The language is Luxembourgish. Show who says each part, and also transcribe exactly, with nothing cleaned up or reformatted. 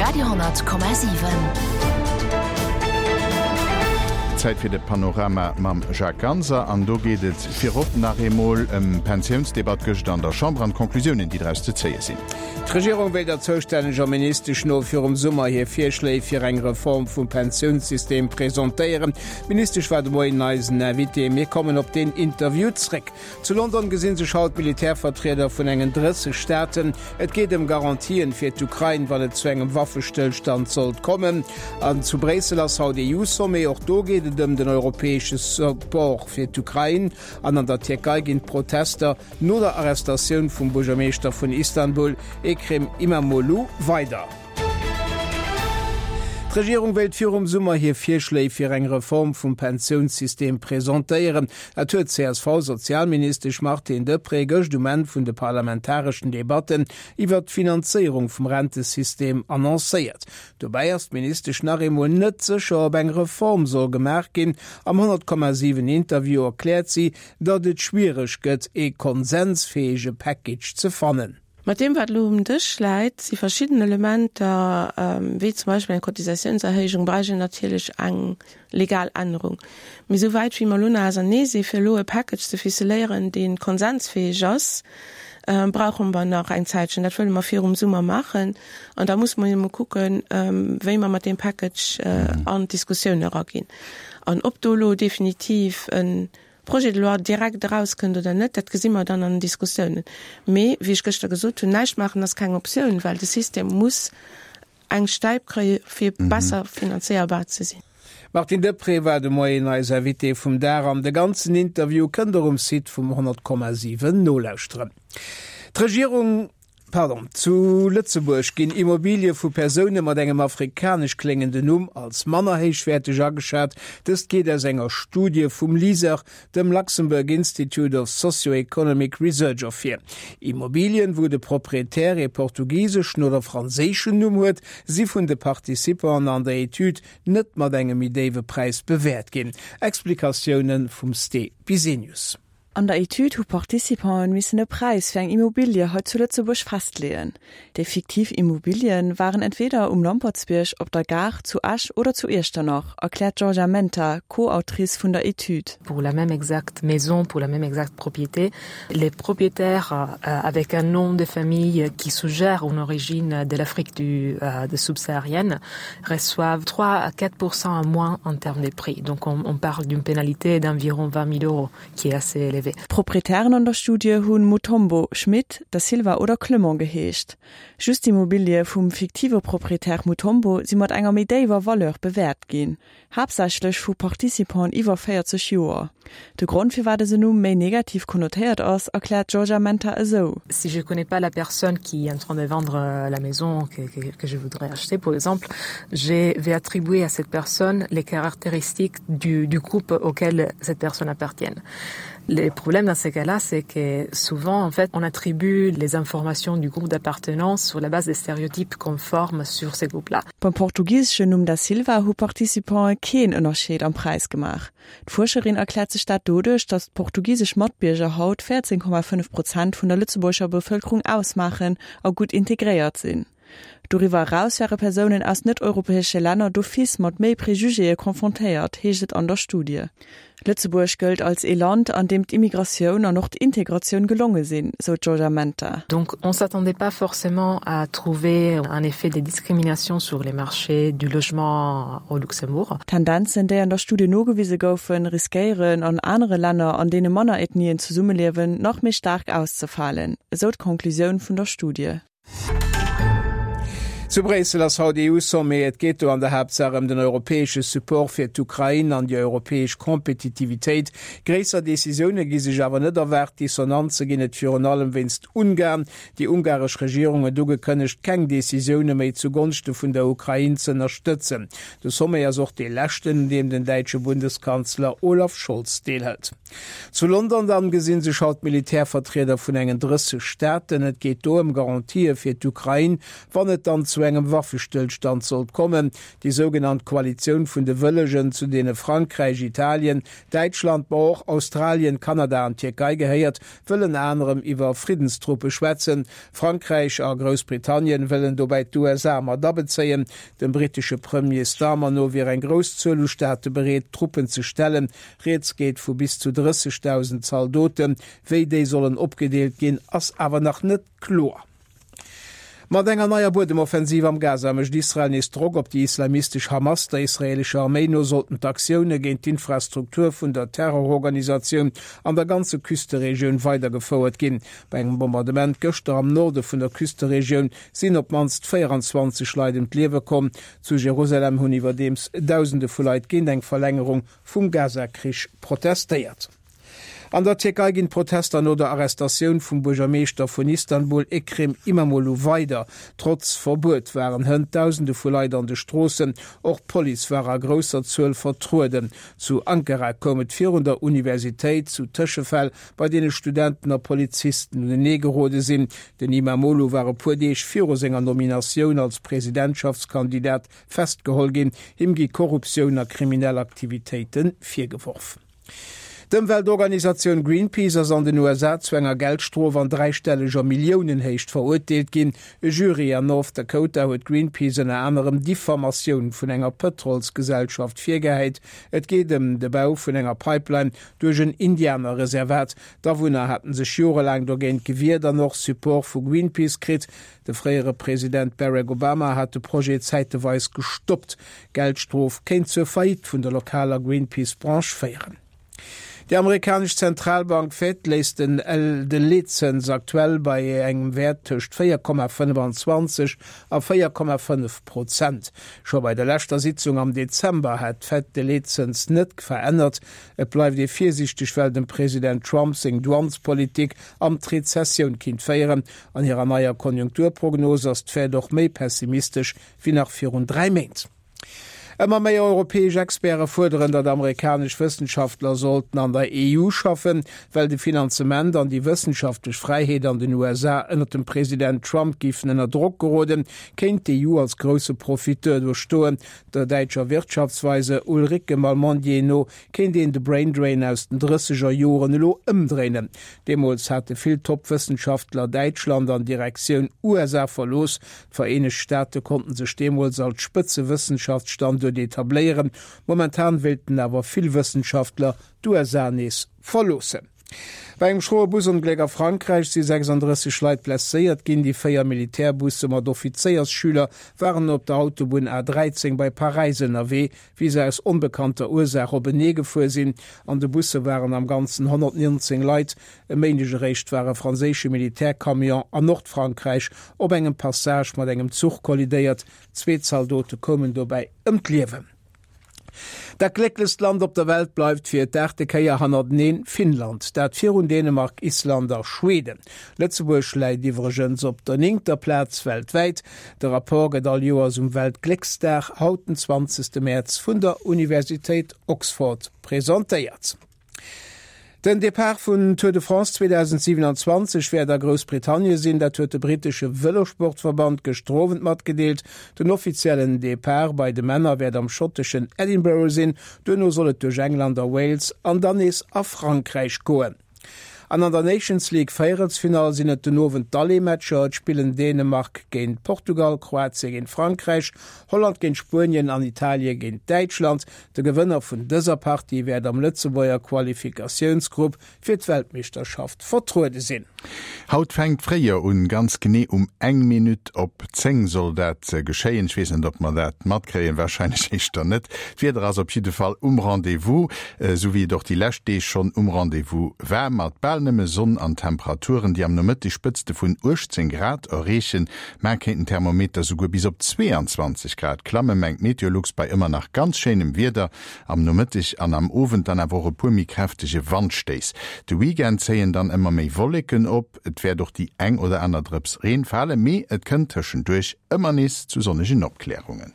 Speaker 1: Radio honnert Komma siwen.
Speaker 2: Zäit fir de Panorama mam Jacques Ganser an do geet et virop nach eemol ëm d'Pensiounsdebatt gëschter an der Chamber an d'Conclusiounen, déi draus ze zéie sinn.
Speaker 3: D'Regierung wéilt der zoustänneger Ministesch no virum Summer hir Virschléi fir eng Reform vum Pensiounssystem presentéieren. D'Ministesch war de Moien eisen Invité. Mir kommen op deen Interview zréck. Zu London gesinn sech haut Militärvertrieder vun engen drësseg Staaten. Et geet ëm Garantien fir d'Ukrain, wann et zu engem Waffestëllstand sollt kommen. An zu Bréissel ass haut EU-Sommet, och do geet et ëm den europäesche Support fir d'Ukrain. An an der Tierkei ginn d'Protester no der Arrestatioun vum Buergermeeschter vun Istanbul, Ekrem Imamoglu, weider. D'Regierung wéilt virum Summer hir Virschléi fir eng Reform vum Pensiounssystem presentéieren. Dat huet d'CSV-Sozialministesch Martine Deprez gëscht um Enn vun de parlamentareschen Debatten iwwert d'Finanzéierung vum Rentesystem annoncéiert. Dobäi ass d'Ministesch nach eemol net sécher, ob eng Reform soll gemaach ginn. Am honnert Komma siwen Interview erkläert si, datt et schwiereg gëtt, ee konsensfäege Package ze fannen.
Speaker 4: Mat deem, wat elo um Dësch läit, si verschidden Elementer, wéi zum Beispill eng Cotisatiounserhéijung, bräicht een natierlech eng legal Ännerung. Mee esou wäit wéi mer elo nach ausernee si fir elo e Package ze ficeléieren, dee konsensfäeg ass, brauche mer nach eng Zäitchen. Dat wëlle mer virum Summer maachen. An da musse mer jo emol kucken, wéi mer mat deem Package an d'Diskussioun eraginn. An ob do elo definitiv e Projet de loi direkt erauskënnt oder net, dat gesi mer dann an den Diskussiounen. Mee, wéi ech gëschter gesot hunn, näischt maachen ass keng Optioun, well de System muss eng Stäip kréie fir besser finanzéierbar ze sinn.
Speaker 3: D'Martine Deprez war de Moien eis Invitée vum Dag an de ganzen Interview kënnt der um Site vum honnert Komma siwen nolauschteren. D'Regierung. Pardon, zu Lëtzebuerg ginn Immobilie vu Persoune mat engem afrikanesch kléngenden Numm als manner héichwäerteg ageschat. Dëst geet aus enger Studie vum LISER, dem Luxembourg Institute of Socio-Economic Research, ervir. Immobilien, wou de Proprietär ee portugiseschen oder franséischen Numm huet, si vun de Participanten an der Etüd net mat engem méi déiwe Präis bewäert ginn. Explikatioune vum Ste Bisenius.
Speaker 5: An der Etüd hu Participanten missen e Präis fir eng Immobilie hei zu Lëtzebuerg festleeën. Déi fiktiv Immobilien waren entweder um Lampertsbierg, op der Gare, zu Esch oder zu Iechternach, erkläert d'Georgia Menta, Co-Autrice vun der Etüd.
Speaker 6: Pour la même exacte maison, pour la même exacte propriété, les propriétaires avec un nom de famille qui suggère une origine de l'Afrique du de subsaharienne reçoivent trois à quatre pour cent en moins en termes de prix. Donc on, on parle d'une pénalité d'environ vingt mille euros qui est assez élevée.
Speaker 5: D'Proprietären an der Studie hunn Mutombo, Schmit, Da Silva oder Clement geheescht. Just d'Immobilie vum fiktive Proprietär Mutombo si mat enger méi déiwer Valeur bewäert ginn, haaptsächlech vu Participanten iwwer véierzeg Joer. De Grond firwat dësen Numm méi negativ konnotéiert ass, erkläert d'Georgia Menta esou.
Speaker 6: Si je connais pas la personne qui est en train de vendre la maison que, que, que je voudrais acheter, par exemple, je vais attribuer à cette personne les caractéristiques du, du groupe auquel cette personne appartient. Le problème dans ces cas-là, c'est que souvent, en fait, on attribue les informations du groupe d'appartenance sur la base des stéréotypes qu'on forme sur ces groupes-là.
Speaker 5: Beim portugiseschen Numm Da Silva hu Participantë keen Ënnerscheed am Präis gemaach. D'Fuerscherin erkläert sech dat doduerch, datt portugisesch Matbierger haut véierzéng Komma fënnef Prozent vun der lëtzebuergescher Bevëlkerung ausmaachen a gutt integréiert sinn. Doriwwer eraus wäre Persounen aus net-europäesche Länner d'office mat méi Prejugéë confrontéiert, heescht et an der Studie. Lëtzebuerg gëllt als ee Land, an deem d'Immigratioun an och d'Integratioun gelonge sinn, sou d'Georgia Menta.
Speaker 6: Donc on s'attendait pas forcément à trouver un effet de discrimination sur les marchés du logement au Luxembourg.
Speaker 5: D'Tendenzen, déi an der Studie nogewise goufen, riskéieren an anere Länner, an deene manner Ethnien zesummeliewen, nach méi staark auszefalen, esou d'Conclusioun vun der Studie.
Speaker 3: Zu Bréissel ass haut EU-Sommet. Et geet do an der Haaptsaach ëm den europäesche Support fir d'Ukrain an déi europäesch Kompetitivitéit. Gréisser Decisioune gi sech awer net erwaart. Dissonanze ginn et virun allem wéinst Ungarn. Déi ungaresch Regierung huet ugekënnegt, keng Decisioune méi zu Gonschte vun der Ukrain z'ënnerstëtzen. De Sommet ass och dee leschten, un deem den däitsche Bundeskanzler Olaf Scholz deelhëlt. Zu London dann gesinn sech haut d'Militärvertrieder vun engen drësseg Staaten. Et geet do ëm Garantië fir d'Ukrain, wann et dann zu zu engem Waffestëllstand sollt kommen. Déi sougenannt Koalitioun vun de Wëllegen, zu deene Frankräich, Italien, Däitschland, ma och Australien, Kanada an d'Tierkei gehéiert, wëll ënner anerem iwwer Friddenstruppe schwätzen. Frankräich a Groussbritannien wëllen dobäi d'USA mat abezéien. Dem brittesche Premier Starmer no wier eng grouss Zuel u Staate bereet, Truppen ze stellen. Rieds geet vu bis zu drëssegdausend Zaldoten. Wéi déi sollen opgedeelt ginn, ass awer nach net kloer. Mat enger neier Buedemoffensiv am Gaza mécht Israel nees Drock op déi islamistesch Hamas. Der israeelescher Arméi no sollten d'Aktioune géint d'Infrastruktur vun der Terrororganisatioun an der ganze Küsteregioun weidergefouert ginn. Bei engem Bombardement gëschter am Norde vun der Küsteregioun sinn op d'mannst véieranzwanzeg Leit ëm d'Liewe komm. Zu Jerusalem hunn iwwerdeems Dausende vu Leit géint eng Verlängerung vum Gaza-Krich protestéiert. An der Tierkei ginn d'Protester no der Arrestatioun vum Buergermeeschter vun Istanbul Ekrem Imamoglu weider. Trotz Verbuet waren hënt Dausende vu Leit an de Stroossen, och d'Police war a grousser Zuel vertrueden. Zu Ankara koum et virun der Universitéit zu Tëschefäll, bei deene Studenten a Polizisten unenee gerode sinn. Den Imamoglu war e puer Deeg viru senger Nominatioun als Presidentschaftskandidat festgeholl ginn. Him gi Korruptioun a kriminell Aktivitéite virgeworf. D'Ëmweltorganisatioun Greenpeace ass an den U S A zu enger Geldstrof an dräistelleger Milliounenhéicht verurteelt ginn. E Jury an North Dakota huet Greenpeace ënner anerem Diffamatioun vun enger Pëtrolsgesellschaft virgehäit. Et geet ëm de Bau vun enger Pipeline duerch en Indianerreservat. D'Awunner haten sech jorelaang dogéint gewiert an och Support vu Greenpeace kritt. De fréiere President Barack Obama hat de Projet zäiteweis gestoppt. D'Geldstrof kéint zur Faillite vun der lokaler Greenpeace-Branch féieren. Déi amerikanesch Zentralbank Fed léisst den de Leetzëns aktuell bei engem Wäert tëscht véier Komma fënnefanzwanzeg a véier Komma fënnef Prozent. Scho bei der leschter Sitzung am Dezember hat d'Fed de Leetzëns net verännert. Et bleift ee virsiichteg, well dem President Trump seng Douanespolitik an d'Rezessioun kinnt féieren. An hirer neier Konjunkturprognos ass d'Fed och méi pessimistesch wéi nach virun dräi Méint. Ëmmer méi europäesch Experte fuerderen, datt amerikanesch Wëssenschaftler sollten an der E U schaffen. Well de Finanzement an déi wëssenschaftlech Fräiheet an den U S A ënnert dem President Trump géifen ënner Drock geroden, kéint d'E U als grousse Profiteur do stoen. Der däitscher Wirtschaftsweise Ulrike Malmendier no kéint een de Braindrain aus den drësseger Joren elo ëmdréinen. Deemools hate vill Top-Wëssenschaftler Däitschland an Direktioun U S A verlooss. D'Vereenegt Staate konnten sech deemools als Spëtzewëssenschaftsstanduert etabléieren. Momentan wéilten awer vill Wëssenschaftler d'U S A nees verloossen. Bei engem schroe Busongléck a Frankräich si sechsanddrësseg Leit blesséiert ginn. Déi véier Militärbusse mat Offizéiersschüler waren op der Autobunn A dräizéng bei Paräis ënnerwee, wéi se aus onbekannter Ursaach openee gefuer sinn. An de Busse waren am Ganzen honnertnonzéng Leit. E Méindeg eréischt war e franséische Militärcamion an Nordfrankräich op engem Passage mat engem Zuch kollidéiert. Zwee Zaldote koumen dobäi ëm d'Liewen. Dat glécklechst Land op der Welt bleift fir d'aachte Kéier hannerteneen Finnland, dat virun Dänemark, Island a Schweden. Lëtzebuerg läit iwwregens op der néngter Plaz weltwäit. De Rapport gëtt all Joers um Weltglécksdag, haut den zwanzegste Mäerz, vun der Universitéit Oxford presentéiert. Den Depart vun Tour de France zweedausendsiewenanzwanzeg wäert a Groussbritannie sinn, dat huet de brittesche Vëlosportverband gëschter Owend matgedeelt. Den offiziellen Depart bei de Männer wäert am schotteschen Edinburgh sinn, duerno soll et duerch England a Wales an dann nees a Frankräich goen. An an der Nations League Véierelsfinall sinn et den Owend d'Aller-Matcher. Et spillen Dänemark géint Portugal, Kroatie géint Frankräich, Holland géint Spuenien an Italie géint Däitschland. De Gewënner vun dëser Partie wäert am Lëtzebuerger Qualifikatiounsgrupp fir d'Weltmeeschterschaft vertruede sinn.
Speaker 2: Haut fänkt d'Fréijoer un, ganz genee um eng Minutt op zéng soll dat geschéien. Ech weess net, ob mer dat matkréien, warscheinlech éischter net. D'Wieder ass op jidde Fall um Rendez-vous, esou wéi et och déi lescht Deeg schonn um Rendez-vous war, mat bal nëmme Sonn an Temperaturen, déi am Nomëtteg Spëtzte vun uechtzéng Grad erreechen. Mar kéint den Thermometer souguer bis op zweeanzwanzeg Grad klammen, mengt Meteolux, bei ëmmer nach ganz schéinem Wieder am Nomëtteg an am Owend dann awer och e puer méi kräftege Wandstéiss. De Weekend zéien dann ëmmer méi Wolleken op, et wäert och déi eng oder aner Drëps Reen falen, mee et kënnt tëschenduerch ëmmer nees zu sonnegen Opklärungen.